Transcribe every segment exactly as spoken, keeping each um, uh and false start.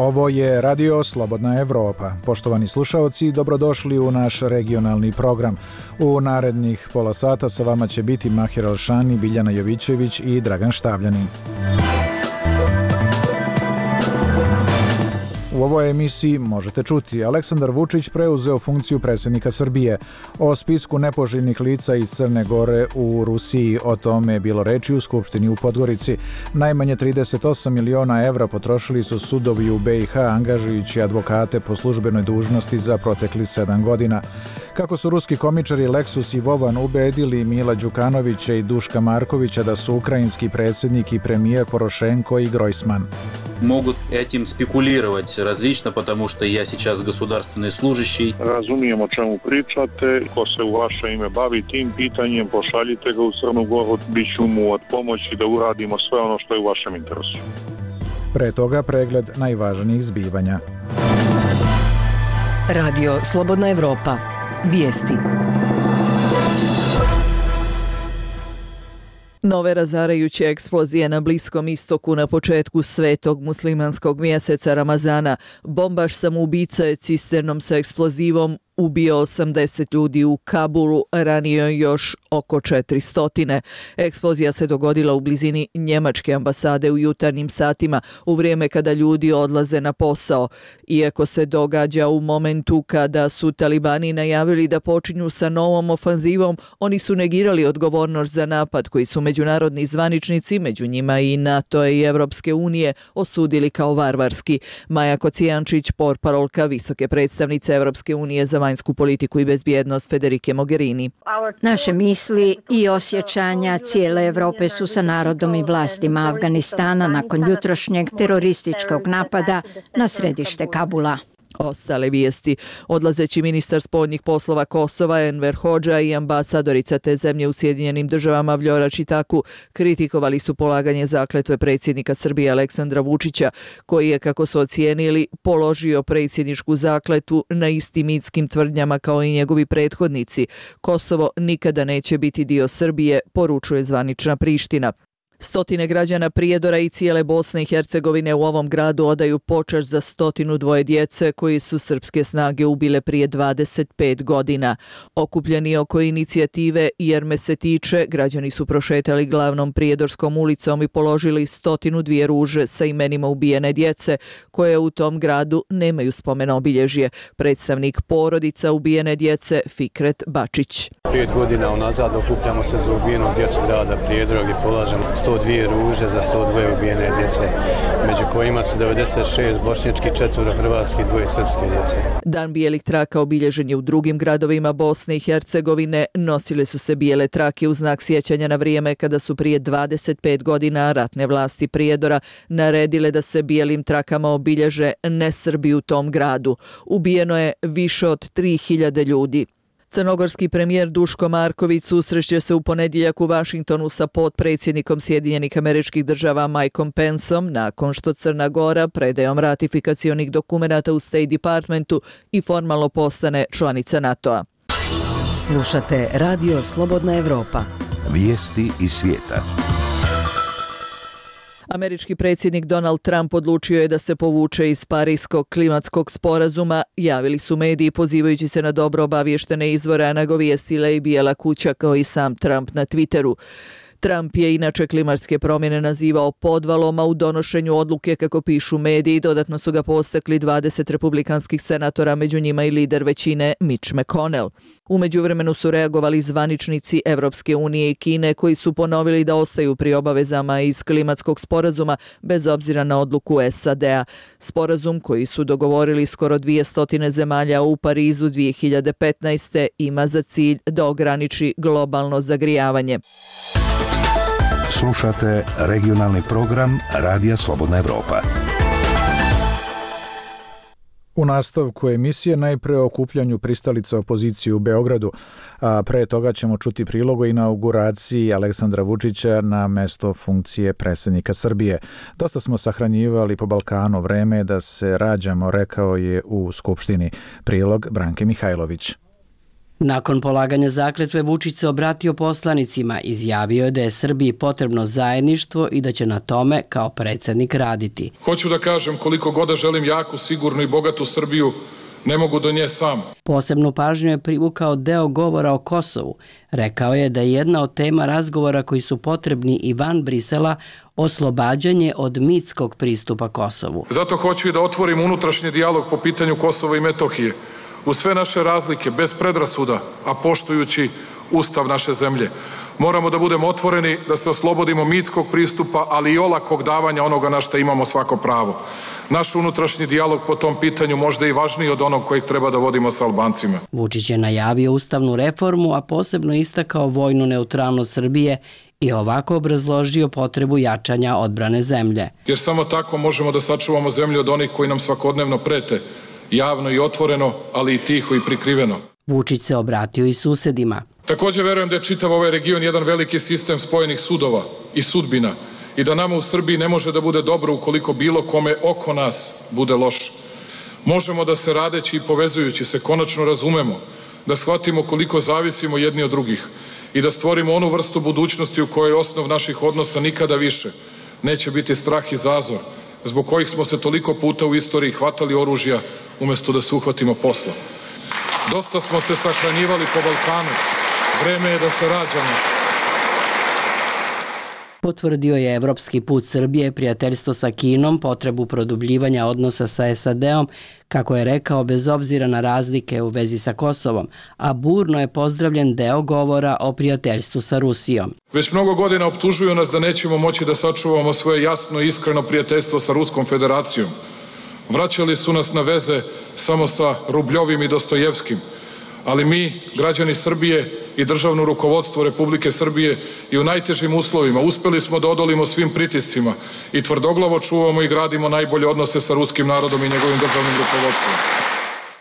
Ovo je Radio Slobodna Evropa. Poštovani slušaoci, dobrodošli u naš regionalni program. U narednih pola sata sa vama će biti Mahir Alšani, Biljana Jovićević i Dragan Štavljanin. U ovoj emisiji možete čuti: Aleksandar Vučić preuzeo funkciju predsjednika Srbije. O spisku nepoželjnih lica iz Crne Gore u Rusiji, o tome je bilo reči u Skupštini u Podgorici. Najmanje trideset osam miliona evra potrošili su sudovi u be i ha angažujući advokate po službenoj dužnosti za protekli sedam godina. Kako su ruski komičari Leksus i Vovan ubedili Mila Đukanovića i Duška Markovića da su ukrajinski predsjednik i premijer Porošenko i Grojsman. Могут этим спекулировать различно, потому что я сейчас государственный служащий. Razumijem o čemu pričate, ko se u vaše ime bavi tim pitanjem, pošaljite ga u Crnu Goru, bit ću mu od pomoći da uradimo sve ono što je u vašem interesu. Pre toga pregled najvažnijih zbivanja. Radio Slobodna Evropa. Vijesti. Nove razarajuće eksplozije na Bliskom istoku na početku svetog muslimanskog mjeseca Ramazana. Bombaš samoubica je cisternom sa eksplozivom ubio osamdeset ljudi u Kabulu, ranio još oko četiristo. Eksplozija se dogodila u blizini njemačke ambasade u jutarnjim satima, u vrijeme kada ljudi odlaze na posao. Iako se događa u momentu kada su talibani najavili da počinju sa novom ofanzivom, oni su negirali odgovornost za napad koji su međunarodni zvaničnici, među njima i NATO i Evropske unije, osudili kao varvarski. Maja Kocijančić, portparolka visoke predstavnice Evropske unije za vanjsku politiku i bezbjednost Federike Mogherini. Naše misli i osjećanja cijele Evrope su sa narodom i vlastima Afganistana nakon jutrošnjeg terorističkog napada na središte Kabula. Ostale vijesti. Odlazeći ministar spoljnih poslova Kosova Enver Hodža i ambasadorica te zemlje u Sjedinjenim državama Vljora Čitaku kritikovali su polaganje zakletve predsjednika Srbije Aleksandra Vučića, koji je, kako su ocijenili, položio predsjedničku zakletvu na istim mitskim tvrdnjama kao i njegovi prethodnici. Kosovo nikada neće biti dio Srbije, poručuje zvanična Priština. Stotine građana Prijedora i cijele Bosne i Hercegovine u ovom gradu odaju počast za stotinu dvoje djece koji su srpske snage ubile prije dvadeset pet godina. Okupljeni oko inicijative Jer me se tiče, građani su prošetali glavnom Prijedorskom ulicom i položili stotinu dvije ruže sa imenima ubijene djece, koje u tom gradu nemaju spomen obilježje. Predstavnik porodica ubijene djece Fikret Bačić. Pet godina unazad okupljamo se za ubijenog djecu grada Prijedora gdje polažemo sto dvije ruže za sto dvije ubijene djece, među kojima su devedeset šest bošnjački, četvoro hrvatski, dvoje srpske djece. Dan bijelih traka obilježen je u drugim gradovima Bosne i Hercegovine. Nosile su se bijele trake u znak sjećanja na vrijeme kada su prije dvadeset pet godina ratne vlasti Prijedora naredile da se bijelim trakama obilježe nesrbi u tom gradu. Ubijeno je više od tri hiljade ljudi. Crnogorski premijer Duško Marković susreće se u ponedjeljak u Vašingtonu sa potpredsjednikom Sjedinjenih Američkih Država Mikeom Penceom nakon što Crna Gora predajom ratifikacionih dokumenata u State Departmentu i formalno postane članica NATO-a. Slušate Radio Slobodna Evropa. Vijesti iz svijeta. Američki predsjednik Donald Trump odlučio je da se povuče iz Pariskog klimatskog sporazuma, javili su mediji pozivajući se na dobro obavještene izvore, a nagovijestila i Bijela kuća kao i sam Trump na Twitteru. Trump je inače klimatske promjene nazivao podvalom, a u donošenju odluke, kako pišu mediji, dodatno su ga postakli dvadeset republikanskih senatora, među njima i lider većine Mitch McConnell. U međuvremenu su reagovali zvaničnici Evropske unije i Kine, koji su ponovili da ostaju pri obavezama iz klimatskog sporazuma bez obzira na odluku es a de a. Sporazum, koji su dogovorili skoro dvjesto zemalja u Parizu dvije hiljade petnaeste. ima za cilj da ograniči globalno zagrijavanje. Slušate regionalni program Radija Slobodna Evropa. U nastavku emisije najpre o okupljanju pristalica opozicije u Beogradu, a pre toga ćemo čuti prilog o inauguraciji Aleksandra Vučića na mesto funkcije predsjednika Srbije. Dosta smo sahranjivali po Balkanu, vreme da se rađamo, rekao je u Skupštini. Prilog Branke Mihajlović. Nakon polaganja zakletve Vučić se obratio poslanicima, izjavio je da je Srbiji potrebno zajedništvo i da će na tome kao predsjednik raditi. Hoću da kažem koliko god da želim jaku, sigurnu i bogatu Srbiju, ne mogu do nje sam. Posebnu pažnju je privukao deo govora o Kosovu. Rekao je da je jedna od tema razgovora koji su potrebni i van Brisela oslobađanje od mitskog pristupa Kosovu. Zato hoću i da otvorim unutrašnji dijalog po pitanju Kosova i Metohije. U sve naše razlike, bez predrasuda, a poštujući Ustav naše zemlje. Moramo da budemo otvoreni, da se oslobodimo mitskog pristupa, ali i olakog davanja onoga na što imamo svako pravo. Naš unutrašnji dijalog po tom pitanju možda i važniji od onog kojeg treba da vodimo sa Albancima. Vučić je najavio ustavnu reformu, a posebno istakao vojnu neutralnost Srbije i ovako obrazložio potrebu jačanja odbrane zemlje. Jer samo tako možemo da sačuvamo zemlju od onih koji nam svakodnevno prete, javno i otvoreno, ali i tiho i prikriveno. Vučić se obratio i susedima. Također verujem da je čitav ovaj region jedan veliki sistem spojenih sudova i sudbina i da nama u Srbiji ne može da bude dobro ukoliko bilo kome oko nas bude loše. Možemo da se radeći i povezujući se konačno razumemo, da shvatimo koliko zavisimo jedni od drugih i da stvorimo onu vrstu budućnosti u kojoj osnov naših odnosa nikada više neće biti strah i zazor, zbog kojih smo se toliko puta u istoriji hvatali oružja umjesto da se uhvatimo posla. Dosta smo se sahranjivali po Balkanu. Vreme je da se rađamo. Potvrdio je evropski put Srbije, prijateljstvo sa Kinom, potrebu produbljivanja odnosa sa S A D-om, kako je rekao, bez obzira na razlike u vezi sa Kosovom, a burno je pozdravljen deo govora o prijateljstvu sa Rusijom. Već mnogo godina optužuju nas da nećemo moći da sačuvamo svoje jasno i iskreno prijateljstvo sa Ruskom federacijom. Vraćali su nas na veze samo sa Rubljovim i Dostojevskim, ali mi, građani Srbije i državno rukovodstvo Republike Srbije i u najtežim uslovima uspeli smo da odolimo svim pritiscima i tvrdoglavo čuvamo i gradimo najbolje odnose sa ruskim narodom i njegovim državnim rukovodstvom.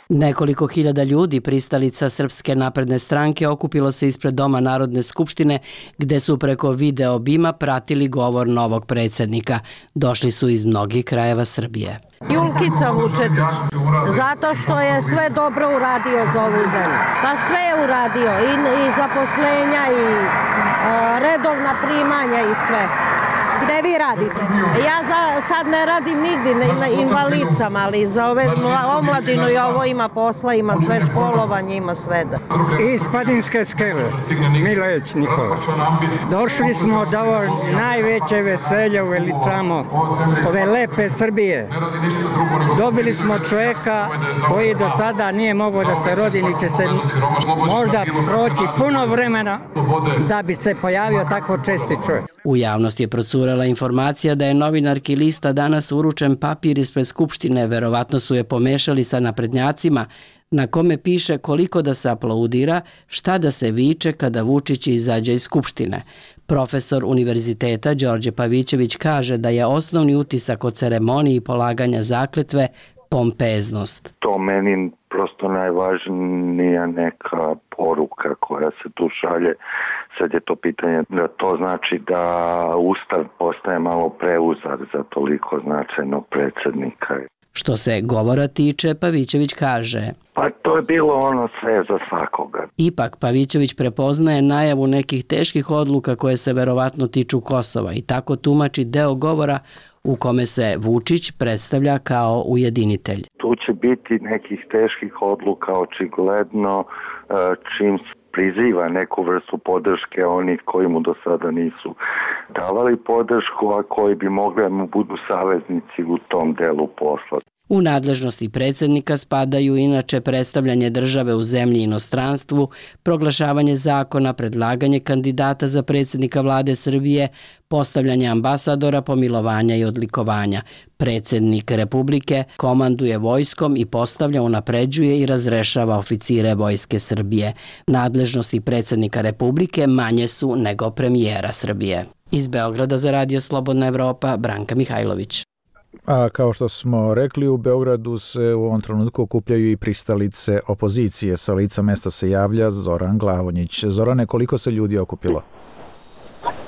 Nekoliko hiljada ljudi, pristalica Srpske napredne stranke, okupilo se ispred Doma Narodne skupštine, gde su preko video bima pratili govor novog predsjednika. Došli su iz mnogih krajeva Srbije. Julkica Vučetić, zato što je sve dobro uradio za ovu zemlju. Pa sve je uradio, i, i zaposlenja, i a, redovna primanja i sve. Gde vi radite? Ja za, sad ne radim nigdje na invalidcama, ali za ove omladinu i ovo ima posla, ima sve školovanje, ima sve da. Iz Padinske skele, Mileć Nikola. Došli smo da ovo najveće veselje uveličamo ove lepe Srbije. Dobili smo čovjeka koji do sada nije mogao da se rodi, ni će se možda proći puno vremena da bi se pojavio tako česti čovjek. U javnosti je procurala informacija da je novinarki Lista danas uručen papir ispred Skupštine, verovatno su je pomešali sa naprednjacima, na kome piše koliko da se aplaudira, šta da se viče kada Vučić izađe iz Skupštine. Profesor univerziteta Đorđe Pavićević kaže da je osnovni utisak o ceremoniji polaganja zakletve pompeznost. To meni prosto najvažnija neka poruka koja se tu šalje. Sad je to pitanje da to znači da Ustav postaje malo preuzar za toliko značajnog predsjednika. Što se govora tiče, Pavićević kaže: Pa to je bilo ono sve za svakoga. Ipak Pavićević prepoznaje najavu nekih teških odluka koje se verovatno tiču Kosova i tako tumači deo govora u kome se Vučić predstavlja kao ujedinitelj. Tu će biti nekih teških odluka očigledno, čim priziva neku vrstu podrške onih koji mu do sada nisu davali podršku, a koji bi mogli da mu budu saveznici u tom delu posla. U nadležnosti predsjednika spadaju inače predstavljanje države u zemlji i inostranstvu, proglašavanje zakona, predlaganje kandidata za predsjednika vlade Srbije, postavljanje ambasadora, pomilovanja i odlikovanja. Predsjednik Republike komanduje vojskom i postavlja, unapređuje i razrešava oficire Vojske Srbije. Nadležnosti predsjednika Republike manje su nego premijera Srbije. Iz Beograda za Radio Slobodna Evropa, Branka Mihajlović. A kao što smo rekli, u Beogradu se u ovom trenutku okupljaju i pristalice opozicije. Sa lica mesta se javlja Zoran Glavonjić. Zorane, koliko se ljudi okupilo?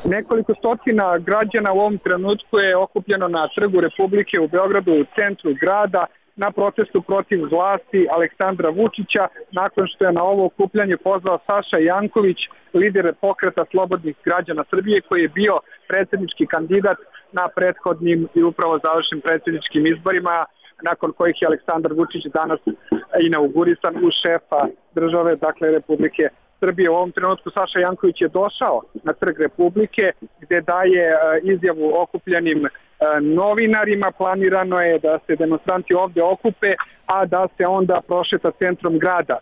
Nekoliko stotina građana u ovom trenutku je okupljeno na Trgu Republike u Beogradu, u centru grada. na protestu protiv vlasti Aleksandra Vučića, nakon što je na ovo okupljanje pozvao Saša Janković, lider pokreta slobodnih građana Srbije, koji je bio predsjednički kandidat na prethodnim i upravo završenim predsjedničkim izborima, nakon kojih je Aleksandar Vučić danas inaugurisan u šefa države, dakle Republike Srbije. U ovom trenutku Saša Janković je došao na Trg Republike, gdje daje izjavu okupljenim novinarima. Planirano je da se demonstranti ovdje okupe, a da se onda prošeta centrom grada.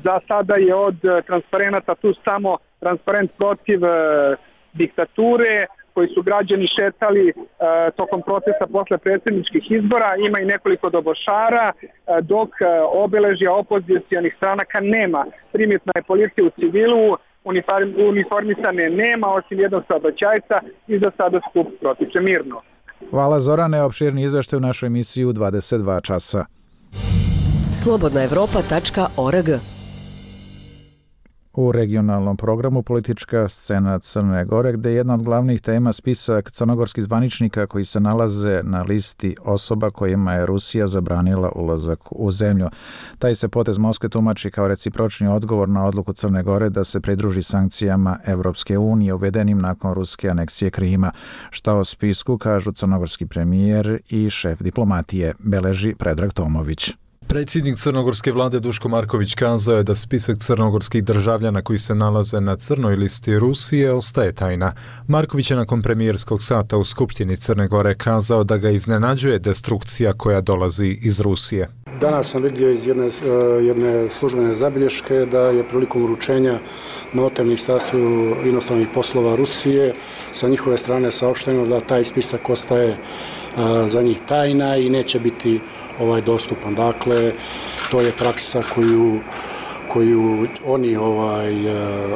Za sada je od transparenata tu samo transparent protiv diktature, koji su građani šetali e, tokom protesta posle predsjedničkih izbora. Ima i nekoliko dobošara, e, dok e, obeležja opozicijonih stranaka nema. Primetna je policija u civilu, uniform, uniformisane nema, osim jednog saobraćajca, i za sada skup protiče mirno. Hvala Zorane, opširni izveštaj u našoj emisiji u dvadeset dva časa. slobodna evropa tačka org. U regionalnom programu politička scena Crne Gore, gde je jedna od glavnih tema spisak crnogorskih zvaničnika koji se nalaze na listi osoba kojima je Rusija zabranila ulazak u zemlju. Taj se potez Moskve tumači kao recipročni odgovor na odluku Crne Gore da se pridruži sankcijama Evropske unije uvedenim nakon ruske aneksije Krima. Šta o spisku kažu crnogorski premijer i šef diplomatije, beleži Predrag Tomović. Predsjednik crnogorske vlade Duško Marković kazao je da spisak crnogorskih državljana koji se nalaze na crnoj listi Rusije ostaje tajna. Marković je nakon premijerskog sata u Skupštini Crne Gore kazao da ga iznenađuje destrukcija koja dolazi iz Rusije. Danas sam vidio iz jedne, jedne službene zabilješke da je prilikom uručenja note Ministarstvu inostranih poslova Rusije sa njihove strane saopšteno da taj spisak ostaje za njih tajna i neće biti ovaj dostupan. Dakle, to je praksa koju koju oni ovaj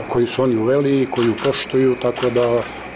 koju su oni uveli i koju poštuju, tako da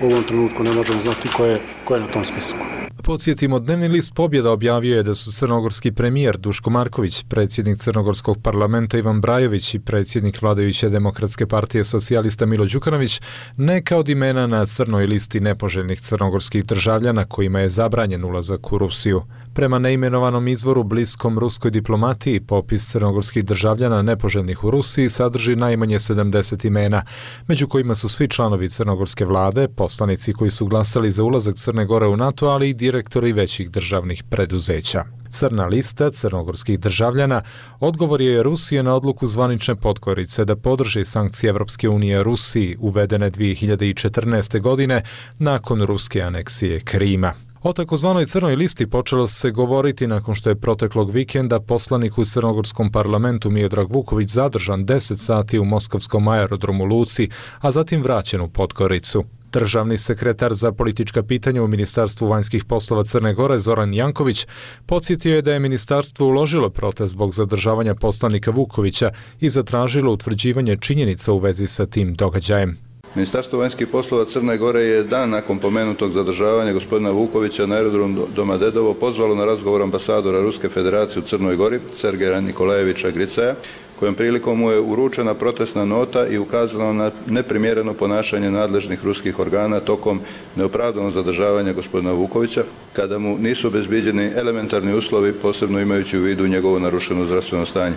u ovom trenutku ne možemo znati ko je ko je na tom spisku. Podsjetimo, dnevni list Pobjeda objavio je da su crnogorski premijer Duško Marković, predsjednik Crnogorskog parlamenta Ivan Brajović i predsjednik vladajuće Demokratske partije socijalista Milo Đukanović neka od imena na crnoj listi nepoželjnih crnogorskih državljana kojima je zabranjen ulazak u Rusiju. Prema neimenovanom izvoru bliskom ruskoj diplomatiji, popis crnogorskih državljana nepoželjnih u Rusiji sadrži najmanje sedamdeset imena, među kojima su svi članovi crnogorske vlade, poslanici koji su glasali za ulazak Crne Gore u NATO, ali i direktori većih državnih preduzeća. Crna lista crnogorskih državljana odgovor je Rusije na odluku zvanične Podgorice da podrži sankcije Evropske unije Rusiji uvedene dvije hiljade četrnaeste. godine nakon ruske aneksije Krima. O takozvanoj crnoj listi počelo se govoriti nakon što je proteklog vikenda poslanik u crnogorskom parlamentu Miodrag Vuković zadržan deset sati u moskovskom aerodromu Luci, a zatim vraćen u Podgoricu. Državni sekretar za politička pitanja u Ministarstvu vanjskih poslova Crne Gore Zoran Janković podsjetio je da je ministarstvo uložilo protest zbog zadržavanja poslanika Vukovića i zatražilo utvrđivanje činjenica u vezi sa tim događajem. Ministarstvo vanjskih poslova Crne Gore je dan nakon pomenutog zadržavanja gospodina Vukovića na aerodromu Domodedovo pozvalo na razgovor ambasadora Ruske federacije u Crnoj Gori, Sergeja Nikolajevića Gricaja, kojom prilikom mu je uručena protestna nota i ukazano na neprimjereno ponašanje nadležnih ruskih organa tokom neopravdanog zadržavanja gospodina Vukovića, kada mu nisu obezbijeđeni elementarni uslovi, posebno imajući u vidu njegovo narušeno zdravstveno stanje.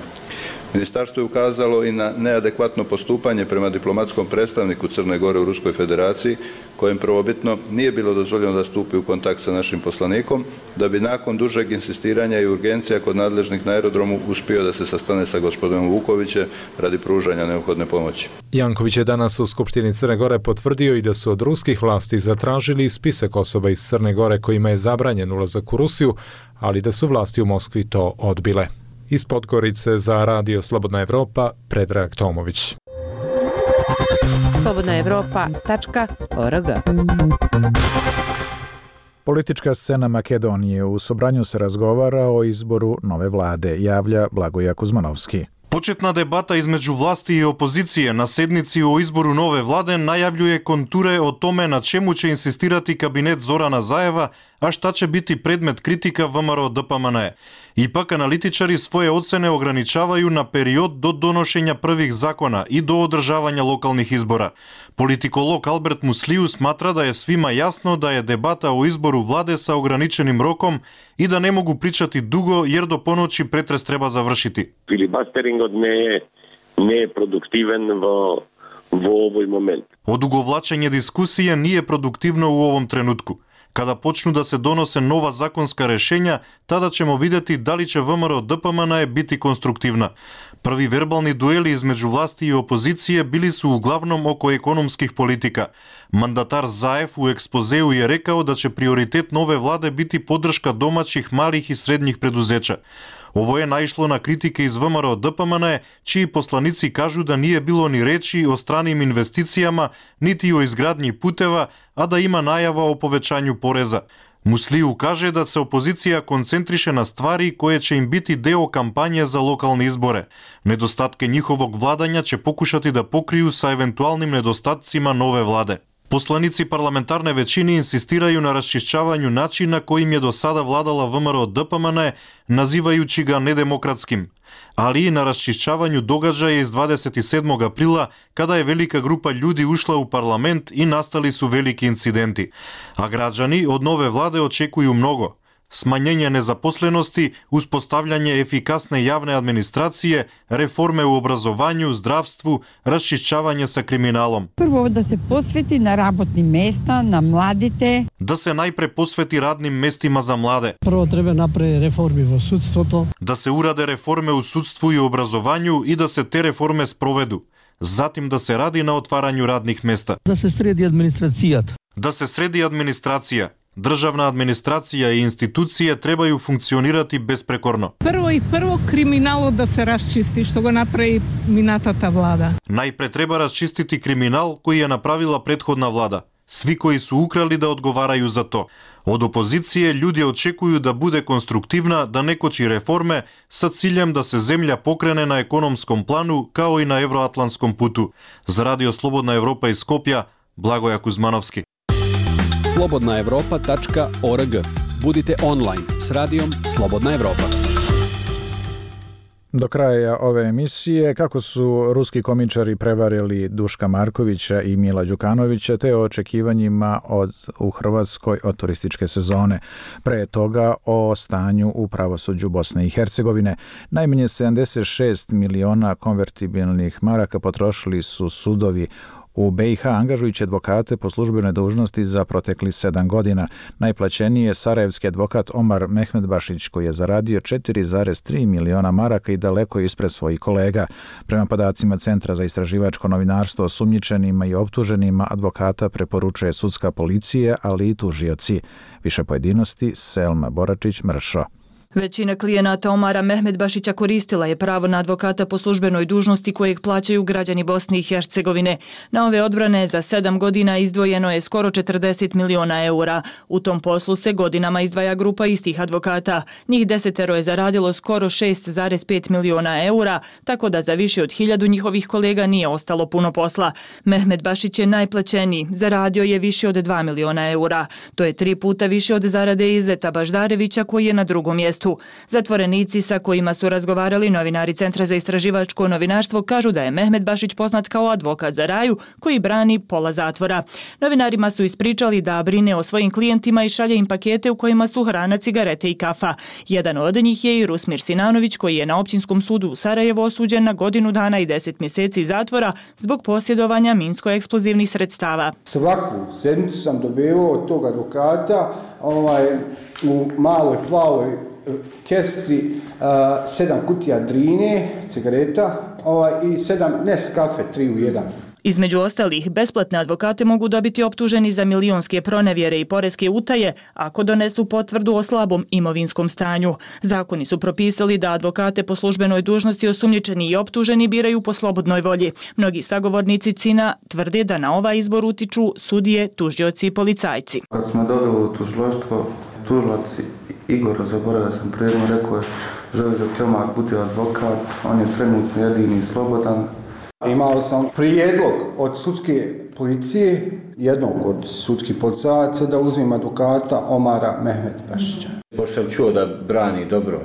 Ministarstvo je ukazalo i na neadekvatno postupanje prema diplomatskom predstavniku Crne Gore u Ruskoj federaciji, kojem prvobitno nije bilo dozvoljeno da stupi u kontakt sa našim poslanikom, da bi nakon dužeg insistiranja i urgencija kod nadležnih na aerodromu uspio da se sastane sa gospodinom Vukovićem radi pružanja neophodne pomoći. Janković je danas u Skupštini Crne Gore potvrdio i da su od ruskih vlasti zatražili spisak osoba iz Crne Gore kojima je zabranjen ulazak u Rusiju, ali da su vlasti u Moskvi to odbile. Iz Podgorice za Radio Slobodna Evropa, Predrag Tomović. slobodna evropa tačka org. Politička scena Makedonije. U Sobranju se razgovara o izboru nove vlade, javlja Blagoja Kuzmanovski. Почетна дебата измеѓу власти и опозиција на седници о избору нове владе најављуе контуре о томе на чему ќе инсистирати кабинет Зорана Заева, а шта ќе бити предмет критика ВМРО Д П М Н Е. Ипак аналитичари своје оцене ограничавају на период до доношење првих закона и до одржавање локалних избора. Политиколог Алберт Муслију сматра да е свима јасно да е дебата о избору владе са ограниченим роком и да не могу причати дуго jer do ponoći pretres treba završiti. Filibusteringот не е не е продуктивен во во овој момент. Одуговлачење дискусија не е продуктивно у овом тренутку. Kada počnu da se donose nova zakonska rešenja, tada ćemo videti da li će V M R O D P M N biti konstruktivna. Prvi verbalni dueli između vlasti i opozicije bili su uglavnom oko ekonomskih politika. Mandatar Zaev u ekspozeu je rekao da će prioritet nove vlade biti podrška domaćih, malih i srednjih preduzeća. Ovo je naišlo na kritike iz V M R O D P M N, čiji poslanici kažu da nije bilo ni reči o stranim investicijama, niti o izgradnji puteva, a da ima najava o povećanju poreza. Musliju kaže da se opozicija koncentriše na stvari koje će im biti deo kampanje za lokalne izbore. Nedostatke njihovog vladanja će pokušati da pokriju sa eventualnim nedostatcima nove vlade. Poslanici parlamentarne većine insistiraju na raščišćavanju načina kojim je do sada vladala V M R O D P M N, nazivajući ga nedemokratskim, ali i na raščišćavanju događaja iz dvadeset sedmog aprila, kada je velika grupa ljudi ušla u parlament i nastali su veliki incidenti. A građani od nove vlade očekuju mnogo. Smanjenje nezaposlenosti, uspostavljanje efikasne javne administracije, reforme u obrazovanju, zdravstvu, raščišćavanje sa kriminalom. Prvo da se posveti na rabotnim mesta, na mladite. Da se najpre posveti radnim mestima za mlade. Prvo treba napraviti reformi u sudstvu. Da se urade reforme u sudstvu i obrazovanju i da se te reforme sprovedu. Zatim da se radi na otvaranju radnih mesta. Da se sredi administracija. Da se sredi administracija. Državna administracija i institucije trebaju funkcionirati besprekorno. Prvo i prvo kriminalo da se raščisti, što ga napravi minatata vlada. Najpre treba raščistiti kriminal koji je napravila prethodna vlada. Svi koji su ukrali da odgovaraju za to. Od opozicije ljudi očekuju da bude konstruktivna, da ne koči reforme sa ciljem da se zemlja pokrene na ekonomskom planu kao i na evroatlantskom putu. Za Radio Slobodna Evropa iz Skopja, Blagoja Kuzmanovski. slobodna evropa tačka org. Budite online s radijom Slobodna Evropa. Do kraja ove emisije kako su ruski komičari prevarili Duška Markovića i Mila Đukanovića te o očekivanjima od, u Hrvatskoj od turističke sezone. Pre toga o stanju u pravosuđu Bosne i Hercegovine. Najmanje sedamdeset šest miliona konvertibilnih maraka potrošili su sudovi u B i H angažujući advokate po službenoj dužnosti za protekli sedam godina. Najplaćeniji je sarajevski advokat Omar Mehmedbašić koji je zaradio četiri zarez tri miliona maraka i daleko ispred svojih kolega. Prema podacima Centra za istraživačko novinarstvo osumnjičenima i optuženima advokata preporučuje sudska policija, ali i tužioci. Više pojedinosti Selma Boračić-Mršo. Većina klijenata Omara Mehmedbašića koristila je pravo na advokata po službenoj dužnosti kojeg plaćaju građani Bosne i Hercegovine. Na ove odbrane za sedam godina izdvojeno je skoro četrdeset miliona eura. U tom poslu se godinama izdvaja grupa istih advokata. Njih desetero je zaradilo skoro šest zarez pet miliona eura, tako da za više od hiljadu njihovih kolega nije ostalo puno posla. Mehmedbašić je najplaćeniji, zaradio je više od dva miliona eura. To je tri puta više od zarade Izeta Baždarevića koji je na drugom mjestu. Zatvorenici sa kojima su razgovarali novinari Centra za istraživačko novinarstvo kažu da je Mehmedbašić poznat kao advokat za raju koji brani pola zatvora. Novinarima su ispričali da brine o svojim klijentima i šalje im pakete u kojima su hrana, cigarete i kafa. Jedan od njih je i Rusmir Sinanović koji je na općinskom sudu u Sarajevu osuđen na godinu dana i deset mjeseci zatvora zbog posjedovanja minsko-eksplozivnih sredstava. Svaku sedmicu sam dobivao od tog advokata ovaj, u maloj plavoj kesi uh, sedam kutija drine, cigareta ovaj, i sedam Nescafe, tri u jedan. Između ostalih, besplatne advokate mogu dobiti optuženi za milionske pronevjere i poreske utaje ako donesu potvrdu o slabom imovinskom stanju. Zakoni su propisali da advokate po službenoj dužnosti osumnjičeni i optuženi biraju po slobodnoj volji. Mnogi sagovornici Cina tvrde da na ovaj izbor utiču sudije, tužioci i policajci. Kad smo dobili u tužilaštvo, tužilac Igor, zaboravio sam predno, rekao je želi da Tjomar bude advokat, on je trenutno jedini slobodan. Imao sam prijedlog od sudske policije, jednog od sudskih policajaca, da uzmem advokata Omara Mehmedbašića. Pošto sam čuo da brani dobro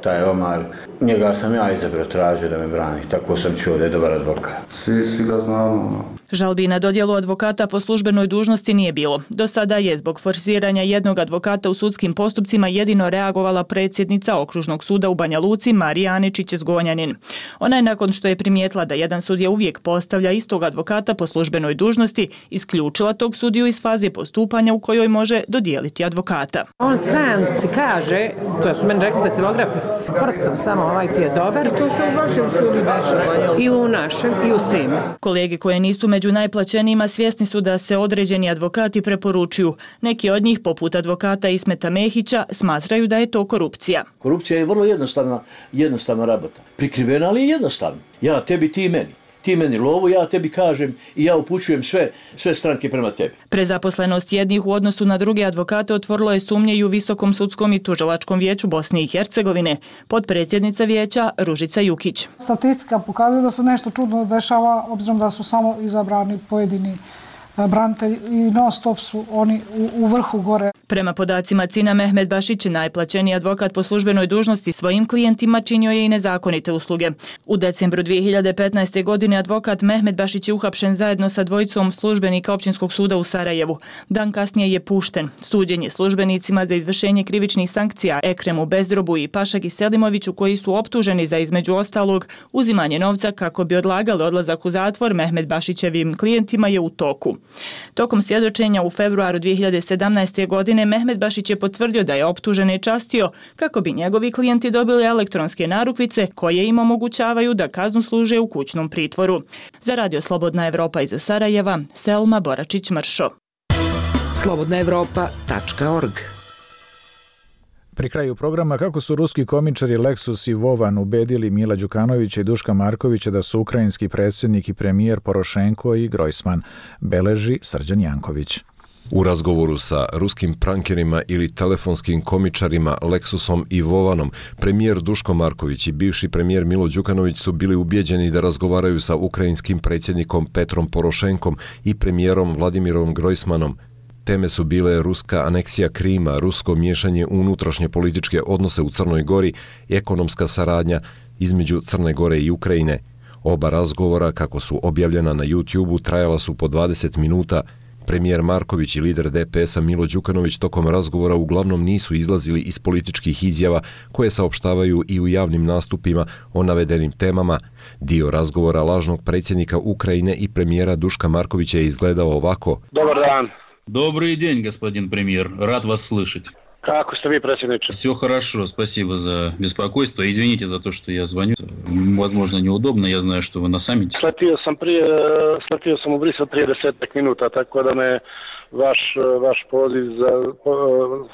taj Omar, njega sam ja izabrao, tražio da me brani, tako sam čuo da je dobar advokat. Svi, svi ga znamo. Žalbi na dodjelu advokata po službenoj dužnosti nije bilo. Do sada je zbog forsiranja jednog advokata u sudskim postupcima jedino reagovala predsjednica Okružnog suda u Banja Luci Marija Aničić-Zgonjanin. Ona je nakon što je primijetila da jedan sudija uvijek postavlja istog advokata po službenoj dužnosti, isključila tog sudiju iz faze postupanja u kojoj može dodijeliti advokata. On stranci kaže, to su meni rekli datilografi, prstom samo ovaj ti je dobar. I to se u vašem sudu dešava. I u našem, i u svim. Kolege koje nisu među najplaćenijima svjesni su da se određeni advokati preporučuju. Neki od njih, poput advokata Ismeta Mehića, smatraju da je to korupcija. Korupcija je vrlo jednostavna, jednostavna rabota. Prikrivena, ali jednostavna. Ja tebi, ti meni. Ti meni lovu, ja tebi kažem i ja upućujem sve, sve stranke prema tebi. Prezaposlenost jednih u odnosu na druge advokate otvorilo je sumnje i u Visokom sudskom i tužilačkom vijeću Bosne i Hercegovine. Potpredsjednica vijeća Ružica Jukić. Statistika pokazuje da se nešto čudno dešava, obzirom da su samo izabrani pojedini branitelji i non stop su oni u, u vrhu gore. Prema podacima Cina, Mehmed Bašić, najplaćeniji advokat po službenoj dužnosti, svojim klijentima činio je i nezakonite usluge. U decembru dvije hiljade petnaeste. godine advokat Mehmed Bašić je uhapšen zajedno sa dvojicom službenika Općinskog suda u Sarajevu. Dan kasnije je pušten. Suđenje službenicima za izvršenje krivičnih sankcija Ekremu Bezdrobu i Pašagi Selimoviću, koji su optuženi za, između ostalog, uzimanje novca kako bi odlagali odlazak u zatvor Mehmed Bašićevim klijentima, je u toku. Tokom svjedočenja u februaru dvije hiljade sedamnaeste. godine Mehmed Bašić je potvrdio da je optužene častio kako bi njegovi klijenti dobili elektronske narukvice koje im omogućavaju da kaznu služe u kućnom pritvoru. Za Radio Slobodna Evropa iz Sarajeva, Selma Boračić-Mršo. slobodna evropa tačka org. Pri kraju programa kako su ruski komičari Leksus i Vovan ubedili Mila Đukanovića i Duška Markovića da su ukrajinski predsjednik i premijer Porošenko i Grojsman, beleži Srđan Janković. U razgovoru sa ruskim prankerima ili telefonskim komičarima Leksusom i Vovanom, premijer Duško Marković i bivši premijer Milo Đukanović su bili ubijeđeni da razgovaraju sa ukrajinskim predsjednikom Petrom Porošenkom i premijerom Vladimirom Grojsmanom. Teme su bile ruska aneksija Krima, rusko miješanje u unutrašnje političke odnose u Crnoj Gori, ekonomska saradnja između Crne Gore i Ukrajine. Oba razgovora, kako su objavljena na YouTube-u, trajala su po dvadeset minuta. Premijer Marković i lider D P S-a Milo Đukanović tokom razgovora uglavnom nisu izlazili iz političkih izjava koje saopštavaju i u javnim nastupima o navedenim temama. Dio razgovora lažnog predsjednika Ukrajine i premijera Duška Markovića je izgledao ovako. Dobar dan. Добрый день, господин премьер. Рад вас слышать. Kako ste vi, predsjedniče? Все хорошо, спасибо за беспокойство. Извините за то, что я звоню. Возможно, неудобно, я знаю, что вы на саммите. Sletio sam prije, sletio sam u Brisel prije desetak minuta, tako da me vaš, vaš poziv za,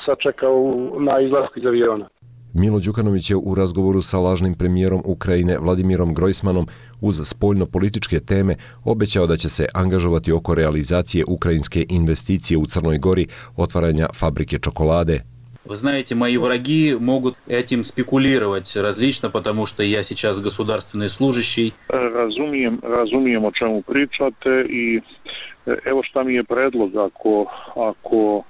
sačekao na izlasku iz aviona. Milo Đukanović je u razgovoru sa lažnim premijerom Ukrajine Vladimirom Grojsmanom uz spoljno-političke teme obećao da će se angažovati oko realizacije ukrajinske investicije u Crnoj Gori, otvaranja fabrike čokolade. Вы знаете, мои враги могут этим спекулировать различно, потому что я сейчас государственный служащий. Razumijem, razumijem o čemu pričate i evo šta mi je predlog, ako, ako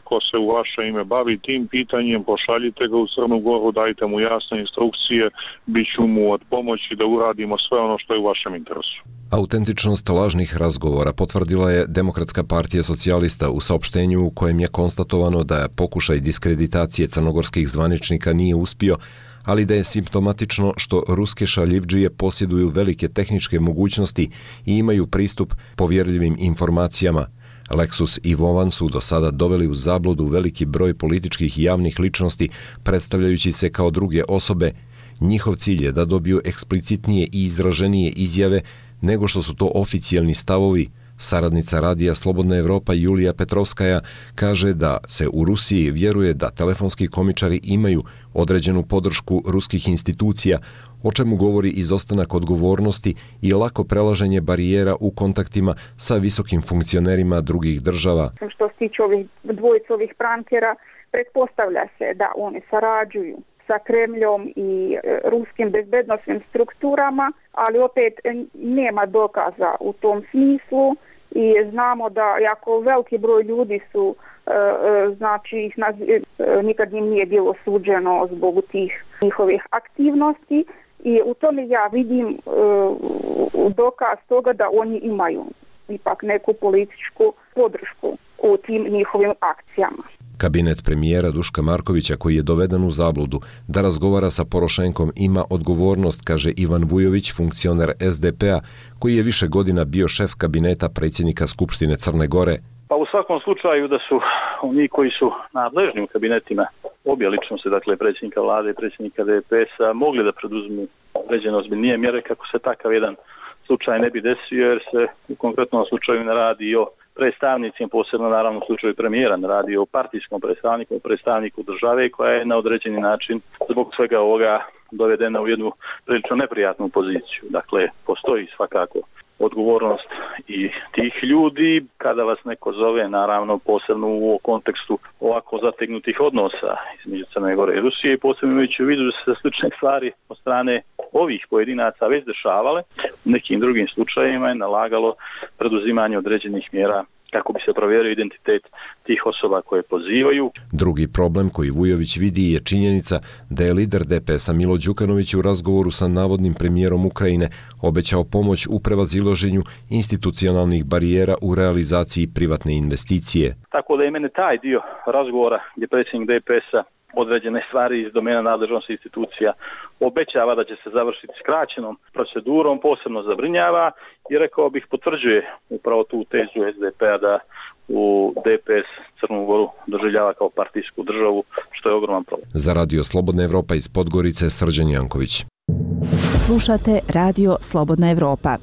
ko se u vaše ime bavi tim pitanjem, pošaljite ga u Crnu Goru, dajte mu jasne instrukcije, bit ću mu od pomoći da uradimo sve ono što je u vašem interesu. Autentičnost lažnih razgovora potvrdila je Demokratska partija socijalista u saopštenju u kojem je konstatovano da pokušaj diskreditacije crnogorskih zvaničnika nije uspio, ali da je simptomatično što ruske šaljivdžije posjeduju velike tehničke mogućnosti i imaju pristup povjerljivim informacijama. Leksus i Vovan su do sada doveli u zabludu veliki broj političkih i javnih ličnosti, predstavljajući se kao druge osobe. Njihov cilj je da dobiju eksplicitnije i izraženije izjave nego što su to oficijalni stavovi. Saradnica radija Slobodna Evropa Julija Petrovskaja kaže da se u Rusiji vjeruje da telefonski komičari imaju određenu podršku ruskih institucija, o čemu govori izostanak odgovornosti i lako prelaženje barijera u kontaktima sa visokim funkcionerima drugih država. Što se tiče ovih dvojice ovih prankera, pretpostavlja se da oni sarađuju sa Kremljom i ruskim bezbednosnim strukturama, ali opet nema dokaza u tom smislu i znamo da jako veliki broj ljudi su, znači ih nikad im nije bilo suđeno zbog tih njihovih aktivnosti i u tome ja vidim dokaz toga da oni imaju ipak neku političku podršku u tim njihovim akcijama. Kabinet premijera Duška Markovića, koji je doveden u zabludu da razgovara sa Porošenkom, ima odgovornost, kaže Ivan Vujović, funkcioner es de pe a, koji je više godina bio šef kabineta predsjednika Skupštine Crne Gore. Pa u svakom slučaju da su oni koji su nadležni u kabinetima obje ličnosti, dakle predsjednika vlade i predsjednika de pe es a, mogli da preduzmu određene ozbiljnije mjere kako se takav jedan slučaj ne bi desio, jer se u konkretnom slučaju ne radi o predstavnicima, posebno naravno u slučaju premijera, ne radi o partijskom predstavniku, o predstavniku države koja je na određeni način zbog svega ovoga dovedena u jednu prilično neprijatnu poziciju. Dakle, postoji svakako odgovornost i tih ljudi kada vas neko zove, naravno posebno u kontekstu ovako zategnutih odnosa između Crne Gore i Rusije, i posebno imajući u vidu da se slične stvari od strane ovih pojedinaca već dešavale, u nekim drugim slučajevima je nalagalo preduzimanje određenih mjera kako bi se provjerio identitet tih osoba koje pozivaju. Drugi problem koji Vujović vidi je činjenica da je lider de pe es a Milo Đukanović u razgovoru sa navodnim premijerom Ukrajine obećao pomoć u prevazilaženju institucionalnih barijera u realizaciji privatne investicije. Tako da je mene taj dio razgovora gdje predsjednik de pe es a određene stvari iz domena nadležnosti institucija obećava da će se završiti skraćenom procedurom, posebno zabrinjava i rekao bih potvrđuje upravo tu tezu es de pe a da u de pe es Crnu Goru doživljava kao partijsku državu, što je ogroman problem. Za Radio Slobodna Evropa iz Podgorice, Srđan Janković. Slušate Radio Slobodna Evropa.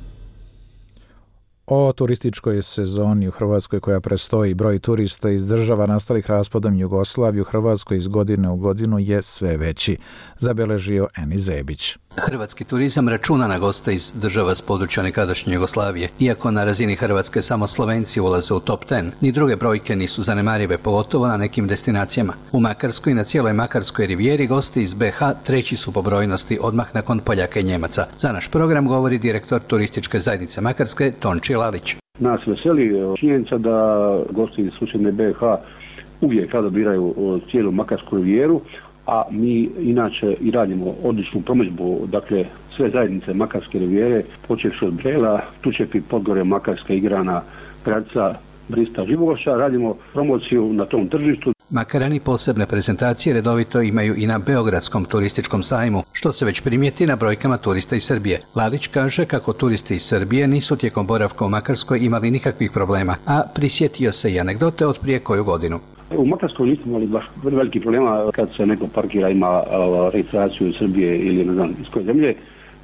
O turističkoj sezoni u Hrvatskoj koja prestoji, broj turista iz država nastalih raspadom Jugoslavije u Hrvatskoj iz godine u godinu je sve veći, zabeležio Eni Zebić. Hrvatski turizam računa na goste iz država s područja nekadašnje Jugoslavije. Iako na razini Hrvatske samo Slovenci ulaze u top deset, ni druge brojke nisu zanemarive, pogotovo na nekim destinacijama. U Makarskoj i na cijeloj Makarskoj rivijeri gosti iz be ha treći su po brojnosti odmah nakon Poljaka i Njemaca. Za naš program govori direktor turističke zajednice Makarske Tonči Lalić. Nas veseli činjenica da gosti iz susjedne be ha uvijek rado biraju cijelu Makarsku rivijeru, a mi inače i radimo odličnu promidžbu, dakle sve zajednice Makarske rivijere, počevši od Brela, Tučepi, Podgorje, Makarska, Igrana, Gradca, Brista, Živogošća, radimo promociju na tom tržištu. Makarani posebne prezentacije redovito imaju i na Beogradskom turističkom sajmu, što se već primijeti na brojkama turista iz Srbije. Lalić kaže kako turisti iz Srbije nisu tijekom boravka u Makarskoj imali nikakvih problema, a prisjetio se i anegdote od prije koju godinu. U Makarskoj nismo imali baš veliki problema kad se neko parkira, ima registraciju iz Srbije ili ne znam iz koje zemlje,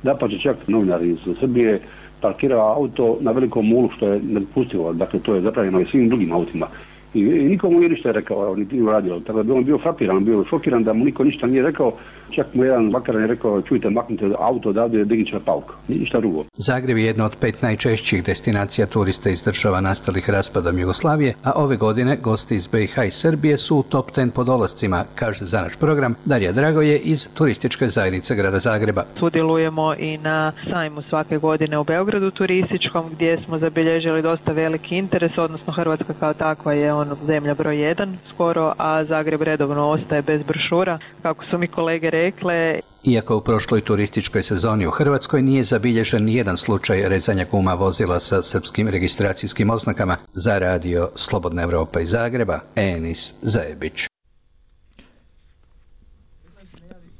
da pa će čak novinari iz Srbije parkira auto na velikom mulu, što je nedopustivo, dakle to je zabranjeno i svim drugim autima. I, i nikomu nije ništa rekao, niti nije radio. Tako da on bio frapiran, bio šokiran da mu niko ništa nije rekao. Čak mu jedan Makaran je rekao, čujte, maknite auto odavde, dignite na pauk. Ništa drugo. Zagreb je jedna od pet najčešćih destinacija turista iz država nastalih raspadom Jugoslavije, a ove godine gosti iz be ha i Srbije su u top deset po dolascima, kaže za naš program Darija Dragoje iz turističke zajednice grada Zagreba. Sudjelujemo i na sajmu svake godine u Beogradu turističkom, gdje smo zabilježili dosta veliki interes, odnosno Hrvatska kao takva je on zemlja broj jedan skoro, a Zagreb redovno ostaje bez brošura, kako su mi kolege rekle. Iako u prošloj turističkoj sezoni u Hrvatskoj nije zabilježen nijedan slučaj rezanja guma vozila sa srpskim registracijskim oznakama, za Radio Slobodna Evropa iz Zagreba, Enis Zebić.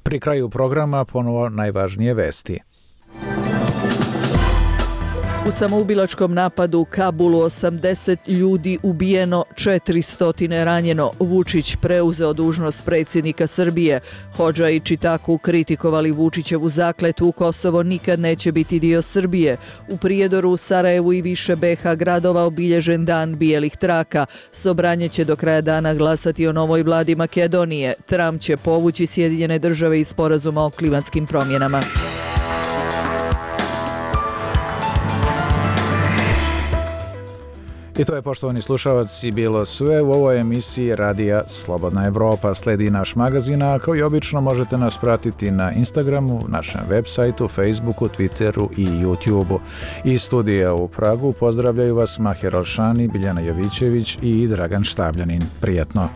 Pri kraju programa ponovo najvažnije vesti. U samoubilačkom napadu u Kabulu osamdeset ljudi ubijeno, četiristo ranjeno. Vučić preuzeo dužnost predsjednika Srbije. Hodža i Čitaku kritikovali Vučićevu zakletvu Kosovo nikad neće biti dio Srbije. U Prijedoru, Sarajevu i više be ha gradova obilježen dan bijelih traka. Sobranje će do kraja dana glasati o novoj vladi Makedonije. Trump će povući Sjedinjene države iz sporazuma o klimatskim promjenama. I to je, poštovani slušalci, bilo sve u ovoj emisiji Radija Slobodna Evropa. Sledi naš magazin, a kao i obično možete nas pratiti na Instagramu, našem web sajtu, Facebooku, Twitteru i YouTubeu. Iz studija u Pragu pozdravljaju vas Mahir Alšani, Biljana Jovićević i Dragan Štabljanin. Prijetno!